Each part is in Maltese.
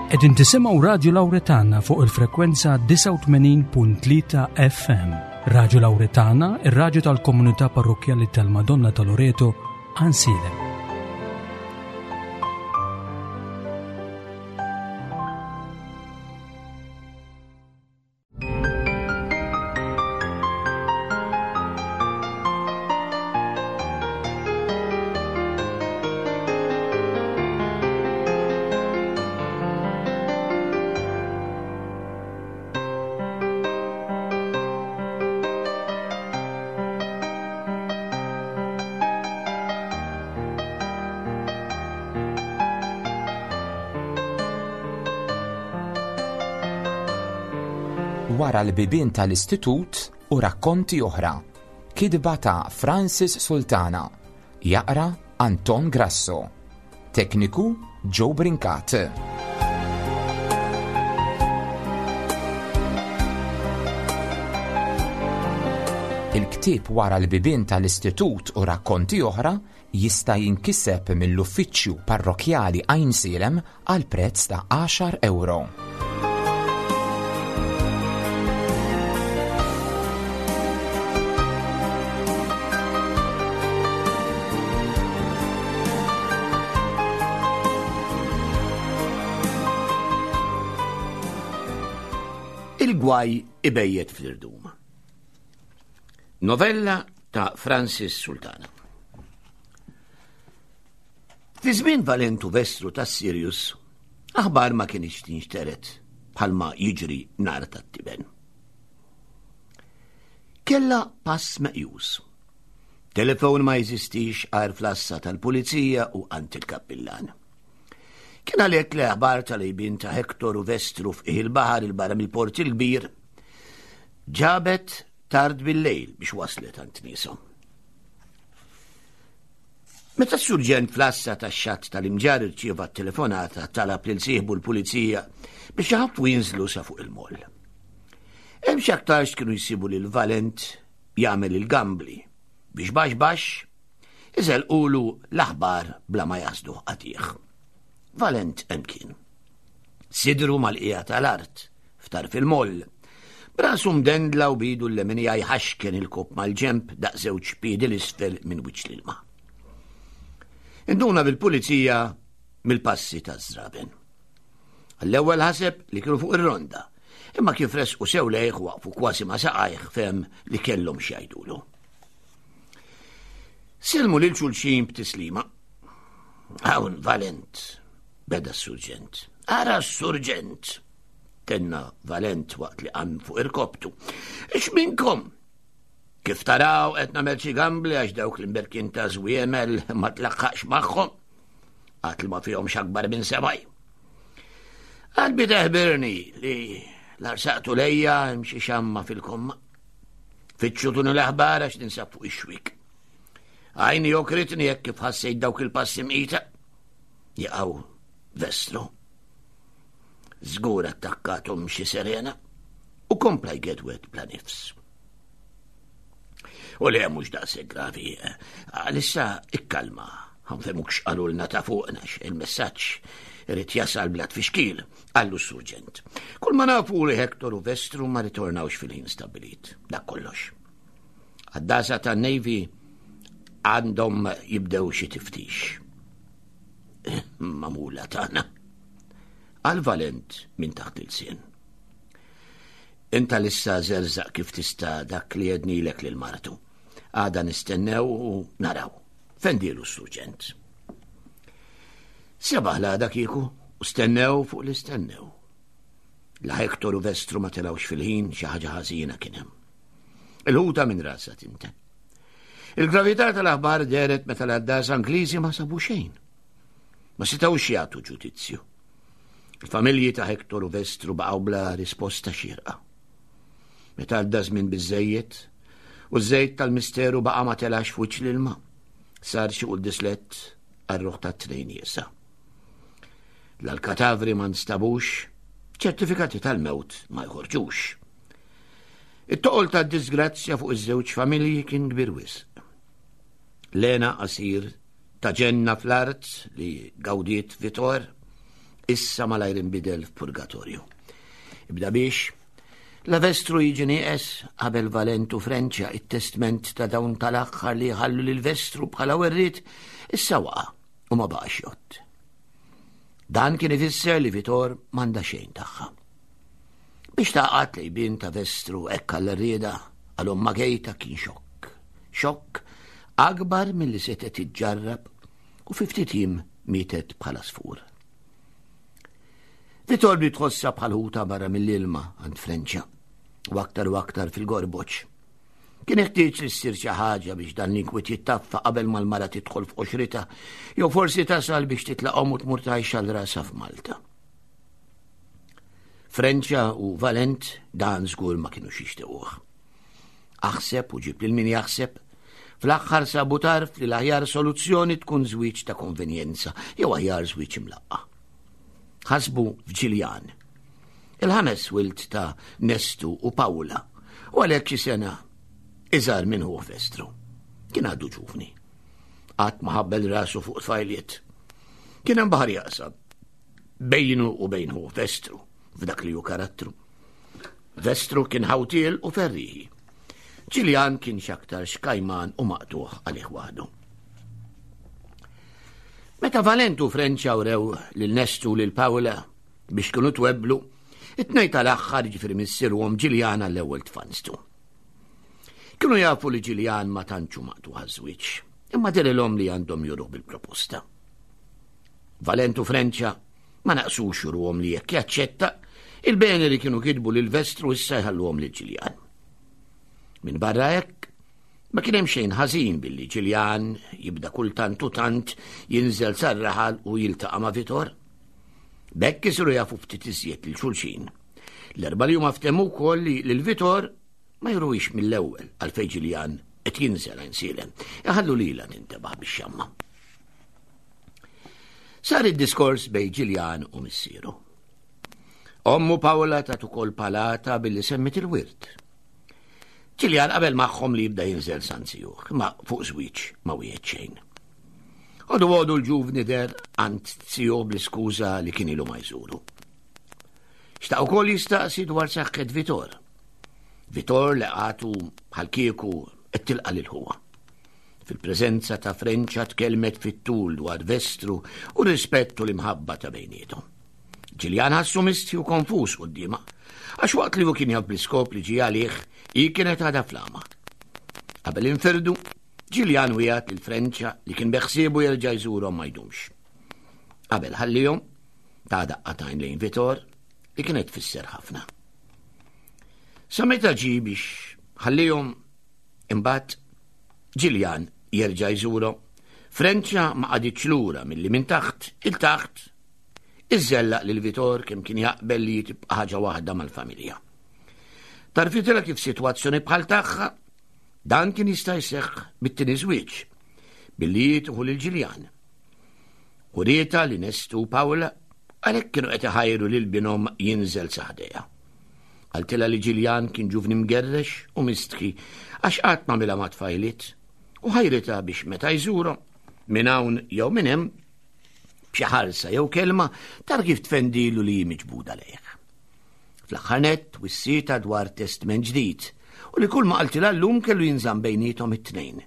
Qegħdin tisimgħu Radju Lawretana fuq il-frekwenza 89.3 FM. Radju Lawretana, ir-radju tal-komunità parrokkjali tal-Madonna ta' Loreto, Ansilem. Wara l-bibien tal-istitut u rakkonti oħra. Kitba ta' Francis Sultana. Jaqra Anton Grasso. Tekniku Joe Brincat. Il-ktieb Wara l-bibien tal-istitut u rakkonti oħra jista' jinkiseb mill-Uffiċċju Parrokkjali Għajnsielem għal prezz ta' għaxar ewro. Il-gwaj ibejjet fl-irdum. Novella ta' Francis Sultana. Fi żmien Valentu Vestru ta' Sirius, aħbar ma kienx tinxteret bħalma jiġri nar tat-tiben. Kella pass meqjus. Telefon ma jeżistix għajr flassa tal-pulizija u għand il-kappillan. Kien għalhekk li aħbar tal-għibien ta' Hector u Vestru f'qiegħ il-baħar il-barra mill-Port il-Kbir ġabet tard bil-lejl biex waslet għand nieshom. Meta s-surġent fl-għassa tax-xatt tal-Imġarr irċieva t-telefonata talab lil sieħbu l-pulizija biex iħaffu jinżlu sa fuq il-moll. Hemm x'aktarx kienu jsibu lil Valent jagħmel il-gambli biex baxx baxx iżelqulu l-aħbar bla ma jaħsduh qatigħ. Valent hemm kien. Sidru mal-qiegħa tal-art, f'tarf il-moll. B'rasu mdendla u bidu l-leminija jħaxken il-kopp mal-ġemp daq żewġ piedi l-isfel minn wiċċ l-ilma. Induna bil-pulizija mill-passi taż-żraben. Għall-ewwel ħaseb li kienu fuq ir-ronda, imma kif resqu sew lejh waqfu kważi ma saqajh fehem li kellhom x'jgħidulu. Selmu lil xulxin b'tislima. Hawn Valent, beda s-surġent. Ara s-surġent, tenna Valent waqt li qam fuq irkoptu. Ix minnkom? Kif taraw qed nagħmel xi gambli għax dawk l-imberkin ta' żwiemel ma tlaqqaqx magħhom. Għad li ma fihomx akbar minn sebaj. Qalbi teħbirni li l-arsaqtu lejja hemm xi xamma fil-komma. Fittxu tuni l-aħbar għax ninsab fuq ix-xwik. Għajni jokritni jekk kif ħassejt dawk il-passi mqita. Jaqaw vestru. Żgur attakkathom xi serena u kompla jgedwed bla nifs. U le mhux daqshekk gravi, għalissa ikkalma, ħanfemuk x'qalulna ta' fuqna il-messaġġ irid jasal bla tfixkil, qallu s-surġent. Kull ma nafu li Hector u Vestru ma ritornawx fil-ħin stabbilit, dak kollox. Għad-dasa tan-Navy għandhom jibdew xi tiftix. Mamula tagħna. Għal Valent minn taħt il-sien. Inta lissa żerżaq kif tista' dak li jednilek lil martu. Għada nistennew u naraw. Fendilu s-surġent. Sebaħ l-għada kieku u stennew fuq li stennew. La Hector u Vestru ma telawx fil-ħin xi ħaġa ħażina kien hemm. Il-ħuta minn rasa tinten. Il-gravità tal-aħbar dehret meta l-għaddas Angliżi ma sabu xejn. Ma setgħux jagħtu ġudizzju. Il-familji ta' Hector u Vestru baqgħu bla risposta xierqa. Meta għadda żmien biżejjed u ż-żejt tal-misteru baqa' ma telax f'wiċċ l-ilma, sar xi quddislet għar-ruħ tat-tnejn nieqsa. L-katavri ma nstabux, ċertifikati tal-mewt ma jħorġux. It-toqol tad-disgrazzja fuq iż-żewġ familji kien kbir wisq. Lena qasir ta' ġenna fl-art li gawdiet Vitor, Issa malajr inbidel f'purgatorju. Ibda biex la Vestru jiġi nieqes qabel Valentu Frenċa it-testment ta' dawn tal-aħħar li jħallu lil Vestru bħala werriet issa waqa' u ma baqax jgħodd. Dan kien ifisser li Vitor m'għandha xejn tagħha. Biex taqgħad lejbien ta' Vestru hekk għall-rieda għal omma Gejta kien xokk. Xokk akbar milli setgħet iġġarrab u fi ftit jiem mietet bħal għasfur. Vitor bdiet tħossha bħal ħuta barra mill-ilma għand Frenċa u aktar u aktar fil-gorboċ. Kien jeħtieġ li ssir xi ħaġa biex dan l-inkwiet jittaffa qabel ma l-mara tidħol f'qoxritha jew forsi tasal biex titlaqhom u tmur tgħix għal rasha f'Malta. Frenċa u Valent dan żgur ma kinux jixtiequh. Aħseb u ġib lil min jaħseb, fl-aħħar sabu tarf li l-aħjar soluzzjoni tkun żwieġ ta' konvenjenza jew aħjar żwieġ imlaqqa. Ħasbu f'Ġiljan, il-ħames wild ta' Nestu u Pawla, u għalhekk xi sena iżgħar minn ħuh Vestru. Kien għadu ġuvni. Qatt ma ħabbel rasu fuq tfajliet. Kien hemm baħar jaqsam bejnu u bejn ħuh Vestru f'dak li hu karattru. Vestru kien ħawtiel u ferriħi. Ġiljan kien x'aktar xkajman u maqtuħ għalih waħdu. Meta Valentu Frenċa wrew lil Nestu lil Pawla biex kienu twebblu, it-tnej tal-aħħar ġifieri missierhom Ġiljan għall-ewwel tfanstu. Kienu jafu li Ġiljan ma tantxu maqtuħ għaż-żwieġ, imma dirilhom li għandhom juruh bil-proposta. Valentu Frenċa Ma naqsux juruhom li jekk jaċċetta, il-beni li kienu kitbu lil Vestru issa jħalluhom lil Ġiljan. Minn barra hekk, ma kien hemm xejn ħażin billi Ġiljan jibda kultant u tant jinżel sar-raħal u jiltaqa' ma' Vitor. B'hekk isiru jafu ftit iżjed lil xulxin. L-erba' li huma ftehmu wkoll li lil Vitor ma juruhiex mill-ewwel għalfejn Ġiljan qed jinżel għajnsielem, iħallu lilha tintebaħ bix-xamma. Sar id-diskors bej Ġiljan u missieru. Ommu Paola tat ukoll palata billi semmit il-wirt. Ġiljan qabel magħhom li jibda jinżel sanzijuh, ma fuq żwieġ ma wieħed xejn. Għodu għodu l-ġuvni der għand zijuh bl-iskuża li kien ilu ma jżuru. Xtaq ukoll jistaqsi dwar saħħet Vitor. Vitor li għatu bħal kieku qed tilqa' lil ħuha. Fil-preżenza ta' Frenċa tkellmet fit-tul dwar Vestru u rispett u l-imħabba ta' bejniethom. Ġiljan ħassu mistħi u konfuż quddiemha, għax waqt li hu kien jaf bl-iskop li ġie għalih, hi kienet għadha flama. Qabel infirdu, Ġiljan wiegħed lil Frenċa li kien beħsiebu jerġa' jżurhom ma jdumx. Qabel ħallihom, ta' daqqatajn lejn Vitor li kienet tfisser ħafna. Sa meta ġie biex ħallihom Imbagħad Ġiljan jerġa' jżurhom. Frenċa ma qagħditx lura milli minn taħt il taħt iżżellaq lil Vitor kemm kien jaqbel li tibqa' ħaġa waħda mal-familja. Tarfitilha kif sitwazzjoni bħal tagħha dan kien jista' jseħħ bit-tieni żwieġ billi jieħu lil Ġiljan. Urietha li Nestu u Pawla għalhekk kienu qed iħajru lil binhom jinżel sa ħdejha. Qaltilha li Ġiljan kien ġuvni mgerrex u mistħi għax qatt m'għamilha ma' tfajliet u ħajritha biex meta jżurhom minn hawn jew minn hemm b'xi ħarsa jew kelma tara kif tfendilu li hi miġbuda lejh. Fl-aħħar nett wissietha dwar testment ġdid u li kull ma qaltilha llum kellu jinżamm bejniethom it-tnejn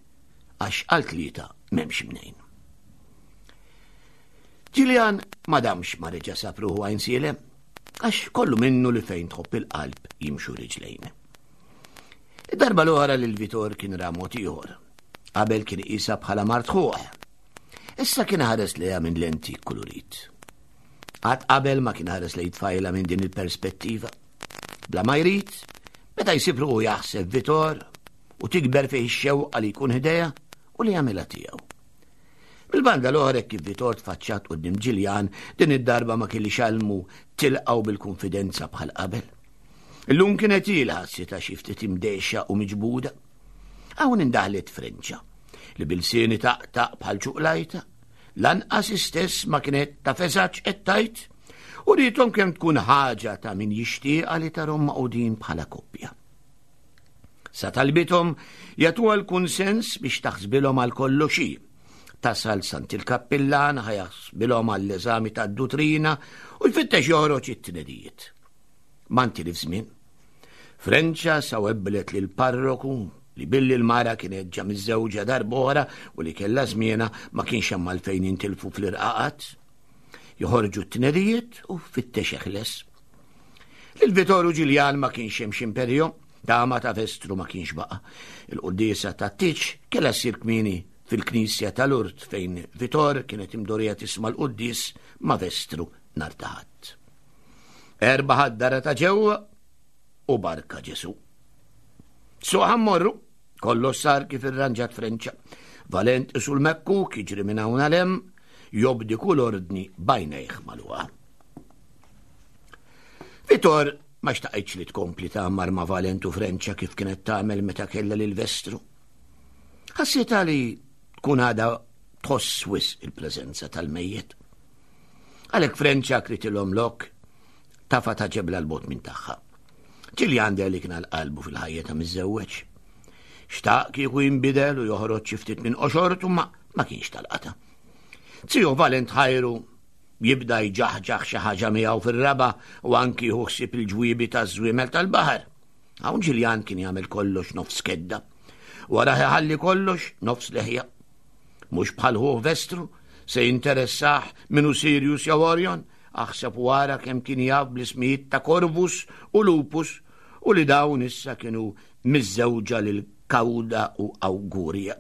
għax għal tlieta m'hemmx mnejn. Ġiljan ma damx ma reġa' sab ruħu Għajnsielem Għax kollu minnu li fejn tħobb il-qalb jimxu riġlejn. Id-darba l-oħra lil Vitor kien ra mod ieħor. Qabel kien iqisha bħala mart ħuh. Issa kien ħares lejha minn lenti kulurit. Qatt qabel ma kien ħares lejn tfajla minn din il-perspettiva. Bla ma jrid, meta jsib ruħu jaħseb Vitor u tikber fih ix-xewqa li jkun ħdejha u li jagħmilha tiegħu. Mill-banda l-oħra hekk kif Vitor tfaċċat quddiem Ġiljan, din id-darba ma kellix għalmu tilqgħu bil-kunfidenza bħal qabel. Illum kienet ilha ħassitha xi ftit imdehxa u miġbuda. Hawn indaħlet Frenċa, li bilsieni taqtaq bħal ċuqlajta, lanqas istess ma kienet taf eżatt x'qed tgħid, u riethom kemm tkun ħaġa ta' min jixtieqha li tarhom magħqudin bħala koppja. Sa talbithom jagħtuha l-kunsens biex taħsbilhom għal kollox hi. Tasal sant il-kappillan ħa jaħsbilhom għall-eżami tad-dutrina u jfittex joħroġ it-tnedijiet. Ma ntilif żmien. Frenċa sa webblet lil parroku li billi l-mara kienet ġa miżżewġa darb'oħra u li kellha żmienha ma kienx hemm għalfejn jintilfu fl-irqaqat. Joħorġu t-tnedijiet u fittex eħles. Lil Vitoru Ġiljan ma kienx hemm x'imperjhom, tama ta' vestru ma kienx baqa'. Il-quddiesa tat-tieġ kellha ssir kmieni fil-knisja ta' Lourdes fejn Vitor kienet imdorrija tisma' l-quddies ma' vestru nhar ta' Ħadd. Erba' ħaddara ta' ġewwa u barka Ġesu. Suq ħammorru, kollox sar kif irranġat Frenċa. Valent isu l-mekkuk jiġri minn hawn għal hemm, jobdi kull ordni b'għajnejh magħluqa. Vitor ma xtaqitx li tkompli tgħammar ma' Valent u Frenċa kif kienet tagħmel meta kellha lil Vestru. Ħassitha li tkun għadha tħoss wisq il-preżenza tal-mejjet. Għalhekk Frenċa kritilhom lok tafa ta' ġebla l-bot minn tagħha. Ġiljan li kien għal qalbu fil-ħajja ta' miżżewweġ. Xtaq kieku jinbidel u joħroġ xi ftit minn qoxortu ma ma kienx tal-qata. Ziju Valent ħajru jibda jġaħġaħ xi ħaġa miegħu fir-raba' u anki jieħu ħsieb il-ġwiebi taż-żwiemel tal-baħar. Hawn Ġiljan kien jagħmel kollox nofs kedda. Wara iħalli kollox nofs leħja. Mhux bħal ħuh Vestru se jinteressah minnu Sirius jew Orion, aħseb wara kemm kien jaf bl-ismijiet ta' Corvus u Lupus u li dawn issa kienu miżżewġa lil Kawda u Awgurja.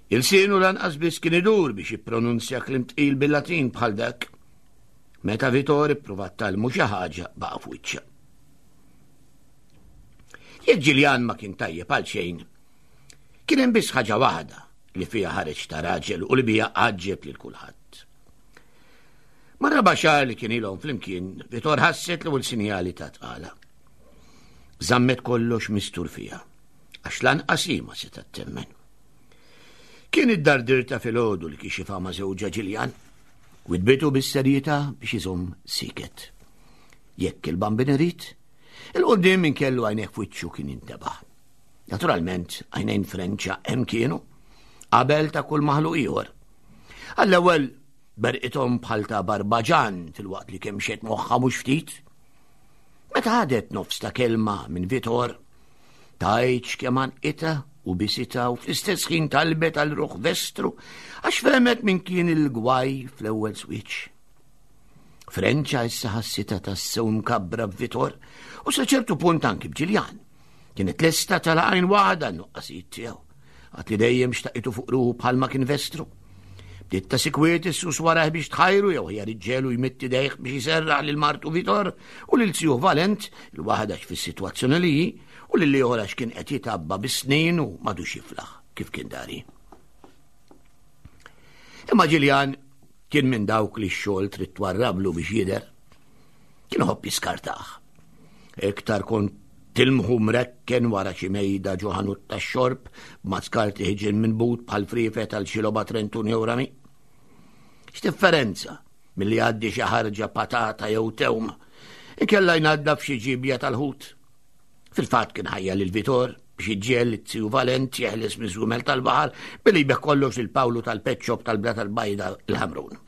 Ilsienu lanqas biss kien idur biex jippronunzja kliem tqil bil-Latin bħal dak. Meta Vitor ippruvat tgħallmu xi ħaġa baqa' f'wiċċha. Jekk Ġiljan ma kien tajjeb għal xejn, kien hemm biss ħaġa waħda li fiha ħareġ ta' raġel u li biha għaġġeb lil kulħadd. Marra xahar li kien ilhom flimkien, Vitor ħasset l-ewwel sinjali ta' tqala. Żammet kollox mistur fiha. Għax lanqas hi ma setgħet temmen. Kien id-dardir ta' filgħodu li kixifha ma' żewġha Ġiljan, widbitu bis-serjetà biex iżomm siket. Jekk il-bambin irid, il-qudiem min kellu għajnejh f'wiċċu kien jintebaħ. Naturalment, għajnejn Frenċa hemm kienu, qabel ta' kull maħluq ieħor. Għall-ewwel berqithom bħal ta' barbaġan filwaqt li kemm xed moħħa mhux ftit. Meta ħadet nofs ta' kelma minn Vitor, tgħidx kemm għanqitha u bisitha u fl-istess ħin talbet għal ruħ vestru għax fehmet min kien il-gwaj fl-ewwel żwieġ. Frenċa issa ħassitha tassew mkabbra b'Vitor u sa ċertu punt anki b'Ġiljan. Kienet lesta tal-għajn waħda n-nuqqasijiet tiegħu. Għad li dejjem xtaqitu fuq ruħu bħalma kien vestru. Bdiet ta' sikwiet issus warajh biex tħajru jew ħjar iġġelu jmidd idejh biex iserraħ lil martu Vitor u lil zijuh Valent, il-waħda fis-sitwazzjoni li hi u lil ieħor għax kien qed jitabba bis-snin u m'għadux jiflaħ kif kien dari. Imma Ġiljan kien minn dawk li x-xogħol trid twarrablu biex jidher. Kien iħobb jiskartah. Iktar kont tilmħu mrekken wara xi mejda ġo ħanut tax-xorb b'mazzkar ħiġin minn but bħal friefet għal xi logħba trentun jew rami. X'differenza milli jgħaddi xi ħarġa patata jew tewma, inkella jnaddaf xi ġibja tal-ħut. Fil-fatt kien ħajja lil Vitor biex iġġiegħel lit-tiju Valent jeħles miż-żwiemel tal-baħar billi jbigħ kollox lil Pawlu tal-pet shop tal-Blata l-Bajda l-Ħamrun.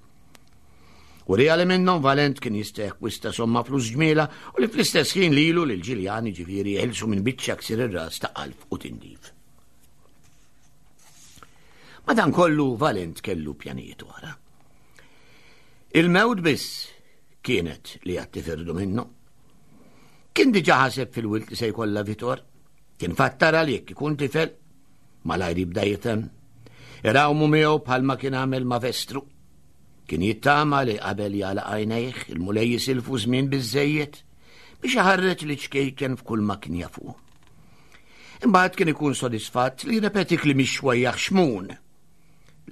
U li minnhom Valent kien jista' jakkwista somma flus ġmiela u li fl-istess ħin lilu lil Ġiljan jiġifieri jeħilsu minn biċċa ksir ir-ras ta' qalb u tindif. Madankollu Valent kellu pjanijiet oħra. Il-mewt biss kienet li għad tifirdu minnu. Kien diġa ħaseb fil-wilt li se jkollha Vitor. Kien fattar għal jekk ikun tifel, malajr jibda jifhem. Irawmu miegħu bħalma kien għamel ma' Vestru. Kien jittama li qabel jagħlaq għajnejh il-Mulej jisilfu żmien biżżejjed biex iħarreġ li ċkejken f'kull ma kien jafu. Imbagħad kien ikun sodisfatt li jirrepeti kliem ix-xwejjaħ xmun.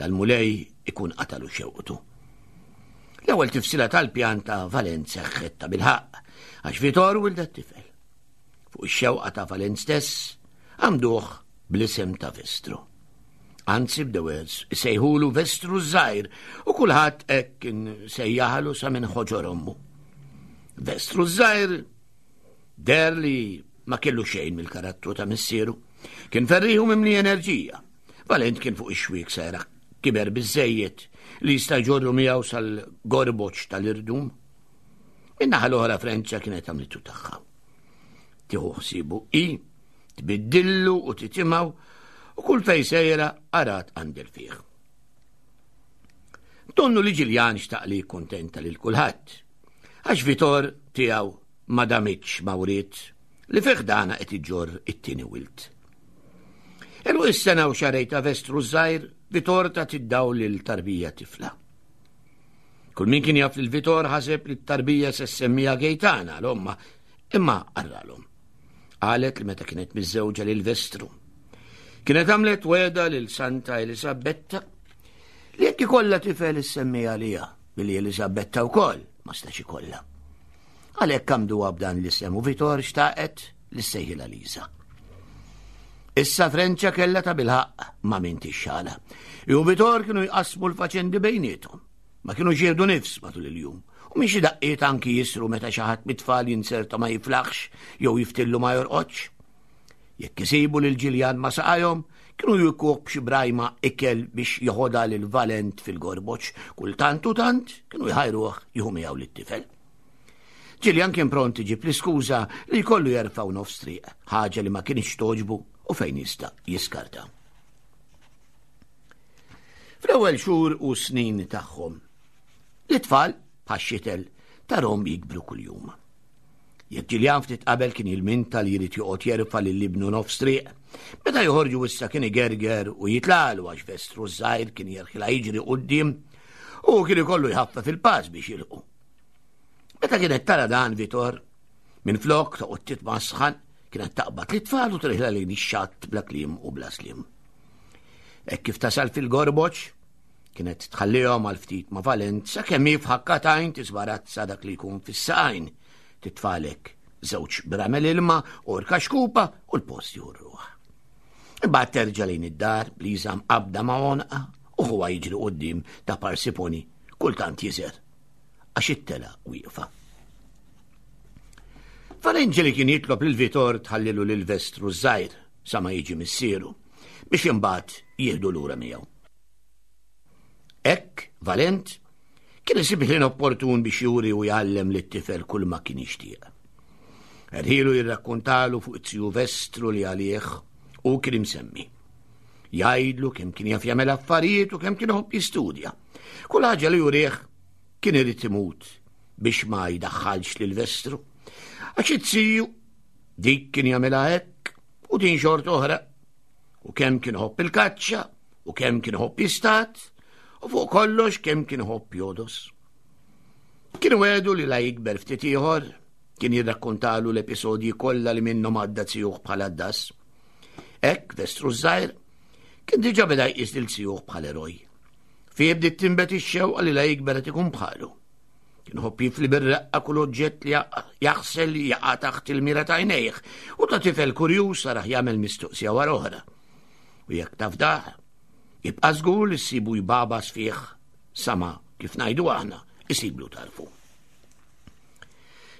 L-Mulej ikun qatalu xewqtu. L-ewwel tifsila tal-pjan ta' Valent seħħet ta' bilħaqq għax Vitor wildet tifel. Fuq ix-xewqa ta' Valent stess għamduh bl-isem ta' Vestru. Anzi bdew isejħulu Vestru żgħir u kulħadd hekk kien sejjaħlu sa minn ħoġor ommu. Vestru żgħir der li ma kellu xejn mill-karattru ta' missieru. Kien ferriħu mimli enerġija. Valent kien fuq ix-xwiek sera kiber biżejjed li jista' jġorru miegħu sal-gorboċ tal-irdum. Min-naħa l-oħra Frenċa kienet għamlitu tagħha. Tieħu ħsibu i, tbiddillu u titimgħu u kull fej sejra arat għandel fih. Donnu li Ġiljan xtaq li jikkuntenta lil kulħadd. Għax Vitor tiegħu ma damitx ma wriet li fih dana qed iġorr it-tieni wild. Elu is-sena u xarej ta' vestru żgħir Vitor ta' tiddaw lil tarbija tifla. Kull min kien jaf lil Vitor ħaseb li t-tarbija se semmija Gejtana l-omma, imma qarralhom. Qalet li meta kienet miżżewġa lil Vestru. Kienet għamlet weda lil Santa Elisabetta li jekk ikollha tifel issemmija għaliha billi Elisabetta wkoll ma stax ikollha. Għalhekk għamduha b'dan l-isem u Vitor xtaqet li ssejħilha Liza. Issa Frenċa kellha ta' bilħaq ma' min tixxala. Ju Vitor kienu jqassmu l-faċendi bejniethom. Ma kienu jieħdu nifs matul il-jum. U minn xi daqqiet anki jisru meta xi ħadd mit-tfal jinserta ma jiflaħx jew jiftillu ma jorqodx. Jekk isibu lil Ġiljan ma saqajhom, kienu jikuh b'xi brajma ikel biex joħodha lil Valent fil-gorboċ, kultant u tant kienu jħajruh jieħu miegħu lit-tifel. Ġiljan kien pront iġib l-iskuża li jkollu jerfgħu nofs triq, ħaġa li ma kienx toġbu u fejn jista' jiskarta. Fl-ewwel xhur u snin tagħhom, l-itfal bħax-xitel tarhom jikbru kuljum. Jekk Ġiljan ftit qabel kien jilminta li jrid joqgħod jerfa' lil ibnu nofs triq, meta joħorġu issa kien igerger u jitlalu għax vestru żgħir kien jerħilha jiġri quddiem u kien ikollu jħaffef il-pass biex jilqu. Meta kienet tara dan Vitor, minn flok toqgħod titmasħan, kienet taqbad li tfal u triħla lejn ix-xatt bla kliem u bla slim. Hekk kif tasal fil-gorboċ, kienet tħallihom għal ftit ma' Valent sakemm hi f'ħakka tajn tisbarazza dak li jkun fis-saqajn, titfalek żewġ bramel ilma u rkaxkupa u l-post jurruħ. Imbagħad terġa' lejn id-dar b'Liża mqabbda ma' għonqa u ħuha jiġri quddiem ta' parsiponi kultant jiżer għax it-tela wieqfa. Valengeli kien jitlob lil Vitor tħallilu lil Vestru żgħir sa ma jiġi missieru biex imbagħad jieħdu lura miegħu. Hekk, Valent, kien isib ħin opportun biex juri u jgħallem lit-tifel kull ma kien jixtieq. Erħilu jirrakkontalu fuq it-tiju Vestru li għalih u kien imsemmi. Jgħidlu kemm kien jaf jagħmel affarijiet u kemm kien iħobb jistudja. Kull ħaġa li jurih kien irid imut biex ma jdaħħalx lil Vestru. Għax it-tiju dik kien jagħmilha hekk u din xort oħra. U kemm kien ħobb il-kaċċa u kemm kien ħobb jistat u fuq kollox kemm kien ħobb jodos. Kien għedu li la jikber ftit ieħor kien jirrakkontalu l-episodji kollha li minnhom għadda zijuh bħala das. Hekk Vestru żgħir kien diġà beda jqis lil zijuh bħal eroj. Fih bdiet tinbet ix-xewqa li la jikber qed ikun bħalu. Kien ħobb jifli bir-reqqa kull oġġett li jaħsel li jaqa' taħt il-mira ta' għajnejh u ta' tifel kurjuż sarah jagħmel mistoqsija wara oħra. U jekk tafdah, ibqa' żgur li ssibu jbabas fih sama kif ngħidu aħna isiblu tarfu.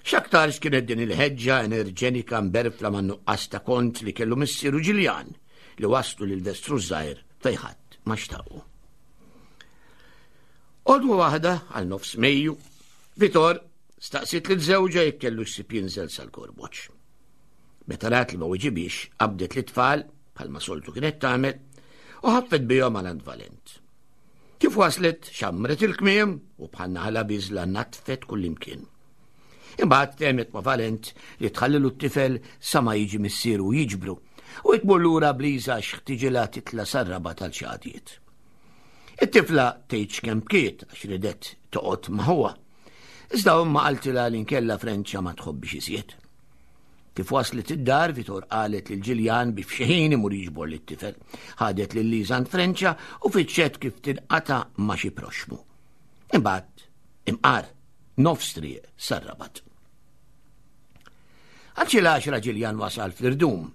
X'aktarx kienet din il-ħeġġa enerġenika mberfla man nuqqas ta' kont li kellu missieru Ġiljan li waslu lil Vestru żgħir fejn ħadd ma xtaqu. Għodwa waħda għal nofs Mejju, Vitor staqsiet lil żewġha jekk kellu xsib jinżel sal-korboċ. Meta rat li ma weġibix, qabdet li tfal, bħalma soltu kienet tagħmel, u ħaffet bihom għal Valent. Kif waslet, xammret il-kmiem u bħal naħla biżla natfet kullimkien. Imbagħad temet ma' Valent li tħallilu t-tifel sa ma jiġi missieru jiġbru u jtmur lura bliża x'ħtiġilha titla' sar-raba tal-xadiet. It-tifla tgħidx kemm bkiet għax ridet toqgħod ma' ħuha. Iżda omma qaltilha li nkella Frenċa ma tħobbix iżjed. Kif waslet id-dar, Vitor qalet lil Ġiljan biex f'xi ħin imur jiġbor lit-tifel. Ħadet lil Liża Frenċa u fitxet kif tinqata' ma' xi proxmu. Imbagħad imqar nofs triq sar-Rabat. Għal xi l-għaxra Ġiljan wasal fl-irdum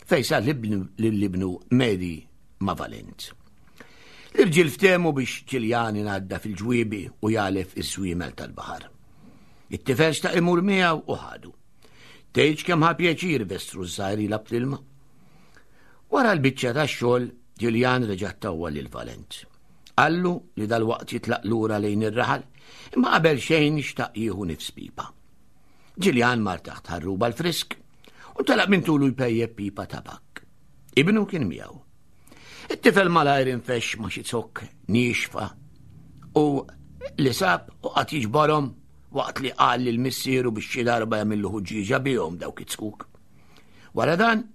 fejn sar lil ibnu Mary ma' Valent. L-irġiel ftehmu biex Ġiljan ingħadda fil-ġwiebi u jagħlef iż-żwiemel tal-baħar. It-tifel xtaq imur miegħu u ħadu. Tgħidx kemm ħa pjaċir vestru żgħir jilgħab fl-ilma. Wara l-biċċa tax-xogħol, Ġiljan reġa' tawwal lil Valent. Qallu li dalwaqt jitlaq lura lejn ir-raħal, imma qabel xejn xtaq jieħu nifs pipa. Ġiljan mar taħt ħarruba l-frisk u telaq minn tulu jpejjep pipa tabak. Ibnu kien miegħu. It-tifel malajr infexx ma' xi zokk niexfa u li sab u qagħad jiġborhom waqt li qal lil missieru biex xi darba jagħmillu ħuġġieġa bihom dawk iz-zkuk. Wara dan,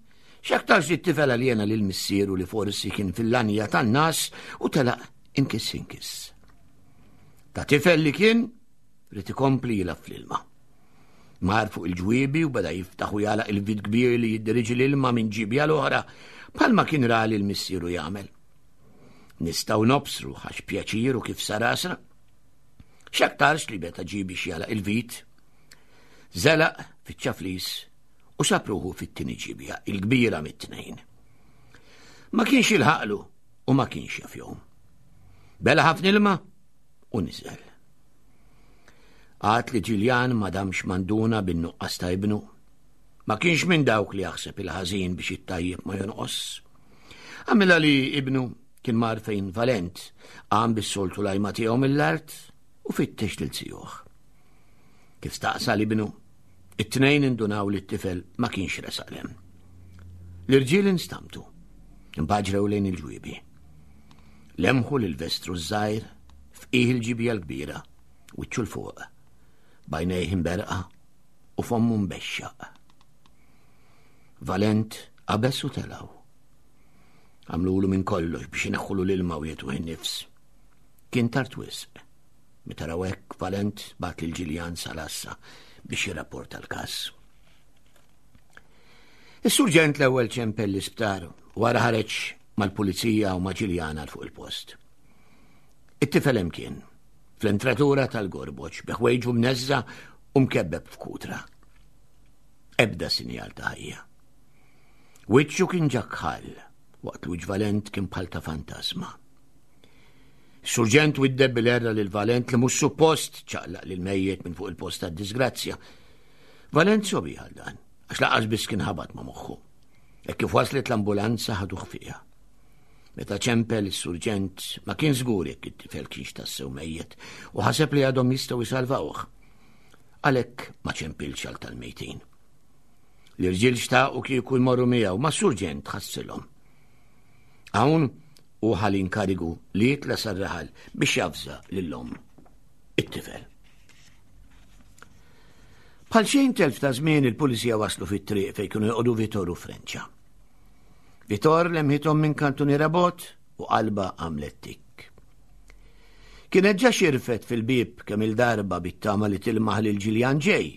x'aktarx li t-tifel aljena lil missieru li forsi kien fil-lanja tan-nas u telaq inkiss inkiss. Ta' tifel li kien, ried ikompli jilgħab fl-ilma. Mar fuq il-ġwiebi u beda jiftaħ u jagħlaq il-vit kbir li jiddiriġi l-ilma minn ġibja l-oħra bħalma kien ra lil missieru jagħmel. Nistgħu nobsru ħax pjaċir u kif sar għasra. X'aktarx li meta ġie biex jagħlaq il-vit, żelaq fiċ-ċaflis u sab ruħu fit-tieni ġibja, il-kbira mit-tnejn. Ma kienx ilħaqlu u ma kienx jaf jom. Bela ħafna ilma u niżel. Għad li Ġiljan ma damx manduna bin-nuqqas ta' ibnu. Ma kienx minn dawk li jaħseb il-ħażin biex it-tajjeb ma jonqos. Għamilha li ibnu kien mar fejn Valent, qam bis-soltu lajma tiegħu mill-art u fittex lil zijuh. Kif staqsa l-ibnu, it-tnejn indunaw li t-tifel ma kienx resaq lem. L-irġiel instamtu, imbagħad ġrew lejn il-ġwiebi. Lemħu lil vestru ż-żgħir f'qiegħ il-ġibja l-kbira, wiċċu 'l fuq, b'għajnejh imberqa u fommu mbexxaq. Valent qabeż u telgħu. Għamlulu minn kollox biex ineħħulu l-ilma u jagħtuh in-nifs. Kien tard wisq. Meta raw hekk, Valent bagħat lil Ġiljan sal-għassa biex jirrapporta l-każ. Is-surġent l-ewwel ċempel l-isptar wara ħareġ mal-pulizija u ma' Ġiljana fuq il-post. It-tifel hemm kien, fl-entratura tal-gorboċ, bi ħwejġu mneżża u mkebbeb f'kutra. Ebda sinjal ta' ħajja. Wiċċu kien ġakħal, waqt li wiċċ Valent kien bħal ta' fantasma. Surġent widdeb bil-erra lil Valent li mhux suppost ċaqlaq lil mejjet minn fuq il-post tad-disgrazzja. Valent sobi għal dan, għax laqas biss kien ħabat ma' moħħu. Hekk kif waslet l-ambulanza ħaduh fiha. Meta ċempel is-surġent ma kien żgur jekk it-tifel kienx tassew mejjet u ħaseb li għadhom jistgħu jsalvawh. Għalhekk ma ċempilx għal tal-mejtin. L-irġiel xtaqu kieku jmorru miegħu ma' surġent ħassilhom. Hawn u ħa l-inkarigu li jitla' sar-raħal biex javża lill-omm it-tifel. Bħal xejn telf ta' żmien il-pulizija waslu fit-triq fejn kienu joqogħdu Vitor u Frenċa. Vitor lemħithom minn kantuniera bot u qalba għamlet tik. Kienet ġa xirfet fil-bieb kemm il-darba bit-tama li tilmaħ lil Ġiljan ġej.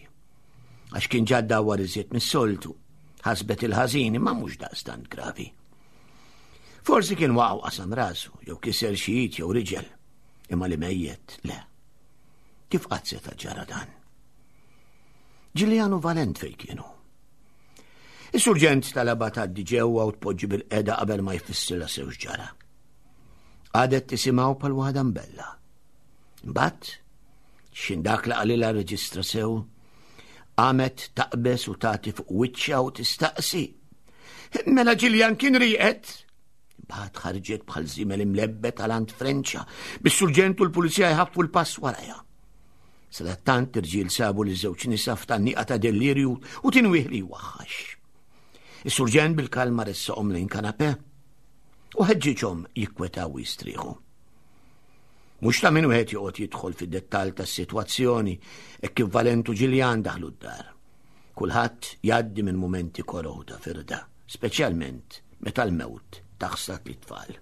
Għax kien ġa dawwar iżjed mis-soltu. Ħasbet il-ħażin imma mhux daqstant gravi. Forsi kien waqgħu qasam rasu, jew kiser xi id jew riġel, imma li mejjet le. Kif qatt seta' ġara dan? Ġiljanu Valent fejn kienu? Is-surġent talaba tgħaddi ġewwa u tpoġġi bil-qeda qabel ma jfissirha sew x'ġara. Għadet tisimgħu bħal waħda mbella. Imbagħad, x'in dak li qalilha rreġistra sew, qamet taqbeż u tagħti fuq wiċċha u tistaqsi. Mela Ġiljan kien rieqed? Imbagħad ħarġet bħal żiemel imlebbet għal għand Frenċa, bis-surġent u l-pulizija jħaffu l-pass warajha. Sadattant irġiel sabu li żewġ nisa f'tanniqa ta' delirju u tinwieħ li jwaħħax. Is-surġent bil-kalma ressaqhom lejn kanape u ħeġġiġhom jikkwetaw u jistrieħu. Mhux ta' min wieħed joqgħod jidħol fid-dettall tas-sitwazzjoni hekk kif Valentu Ġiljan daħlu d-dar. Kulħadd jgħaddi minn mumenti koroh ta' firda, speċjalment meta l-mewt taħsad lit-tfal.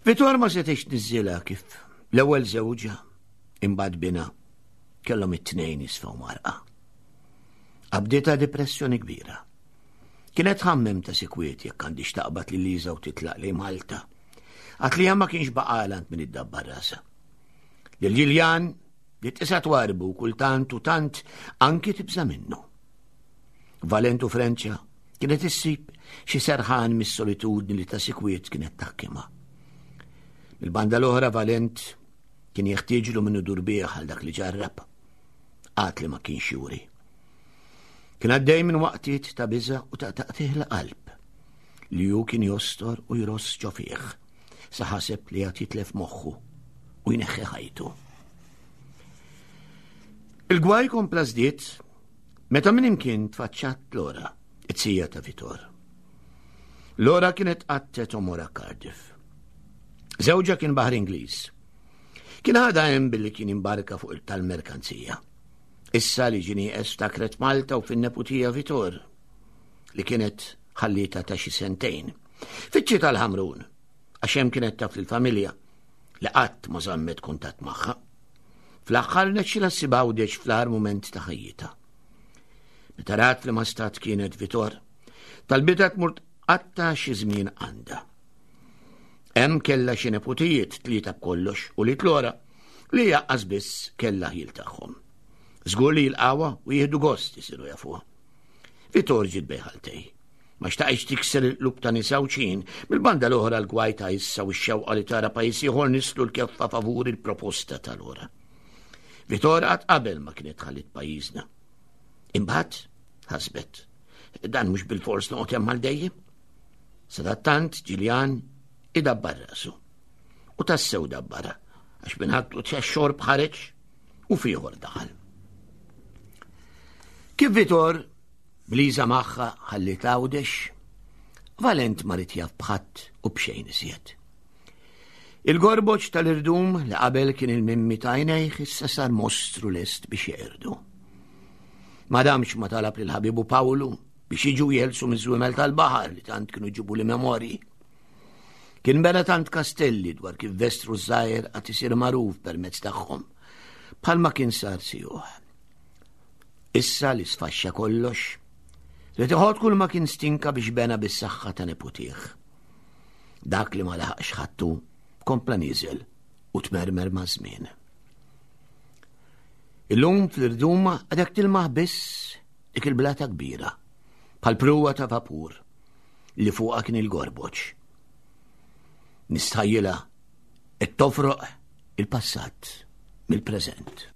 Vitor ma setgħetx tniżżilha kif l-ewwel żewġha imbagħad binha kellhom it-tnejn jisfaw marqa. Qabditha depressjoni kbira. Kienet tħammem ta' sikwiet jekk għandix taqbad li Liza u titlaq lejn Malta. Għat li ma kienx baqgħalha għand min iddabbar rasha. Lil Ġiljan li tqisha twarbu kultant u tant anki tibża' minnu. Valentu Frenċa kienet issib xi serħan mis-solitudni li ta' sikwiet kienet taħkimha. Mill-banda l-oħra Valent kien jeħtieġlu minnu durbieħ għal dak li ġarrab. Għad li ma kienx juri. Kien għaddej minn waqtiet ta' biża u ta' taqtih l-qalb. li hu kien jostor u jross ġo fih, sa ħaseb li għad jitlef moħħu u jneħħi ħajtu. Il-gwaj kompla żdied meta minn imkien tfaċċat Lora, it-sija ta' Vitor. Lora kienet qattet omora Cardiff. Żewġha kien baħar Ingliż. Kien għada hemm billi kien imbarka fuq il-tal-merkanzija. Issa li ġie nieqes ftakret Malta u fin-neputija Vitor li kienet ħallita ta' xi sentejn. Fiċċi tal-Ħamrun, għax hemm kienet taf lill-familja li qatt ma żammet kuntatt magħha. Fl-aħħar nexxilha ssib Għawdex fl-agħar mument ta' ħajjitha. Meta rat li ma stat kienet Vitor, talbitha tmur tqatta' xi żmien għandha. Hemm kellha xi neputijiet tlieta b'kollox u li tlora li jaqqas biss kellha ħil tagħhom. Żgur li jilqawha u jieħdu gost isiru jafuha. Vitor ġiet bejħaltej. Ma xtaqx tikser il-qlub ta' nisa u ċin, mill-banda l-oħra l-gwajta issa u x-xewqa li tara pajjiż ieħor nislu l-keffa favur il-proposta tal-ora. Vitor qatt qabel ma kienet ħallit pajjiżna. Imbagħad ħasbet, dan mhux bil-fors noqgħod hemm għal dejjem. Sadattant Ġiljan idabbar rasu. U tassew dabbara, għax minn ħattu xorb ħareġ u fieħor daħal. Kif Vitor, bliża magħha ħalli tgħawdex, Valent ma rid jaf b'ħadd u b'xejn iżjed. Il-gorboġ tal-irdum li qabel kien il-mimmi ta' għajnejh issa sar mostru lest biex jeqirdu. Ma damx ma talab lil ħabibu Pawlu biex jiġu jeħelsu miż-żwiemel tal-baħar li tant kienu jġibu li memorji. Kien bena tant kastelli dwar kif vestru żgħir qatt isir magħruf permezz tagħhom, bħalma kien sar sijuħ. Issa li sfaxxa kollox, li tiħod kull ma kien stinka biex bena bis-saħħa ta' neputih. Dak li ma laħaqx ħattu kompla niżel u tmermer ma' żmien. Illum fl-irduma għadek tilmaħ biss dik il-blata kbira, bħal pruwa ta' vapur li fuqha kien il-gorboċ. Nistħajjilha qed tofroq il-passat mill-preżent.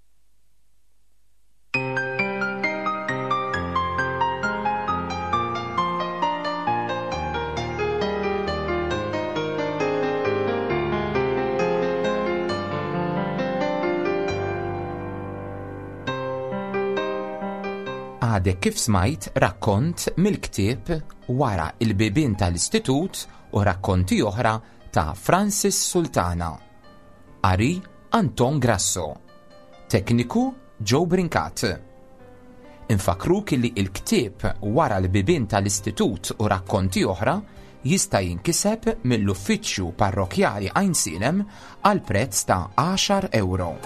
Għadek kif smajt rakkont mill-ktieb Wara il-bibien tal-Istitut u rakkonti oħra ta' Francis Sultana. Qari Anton Grasso. Tekniku Joe Brincat. Infakruk li il-ktieb Wara l-bibien tal-Istitut u rakkonti oħra jista' jinkiseb mill-Uffiċċju Parrokkjali Għajnsielem għal prezz ta' għaxar ewro.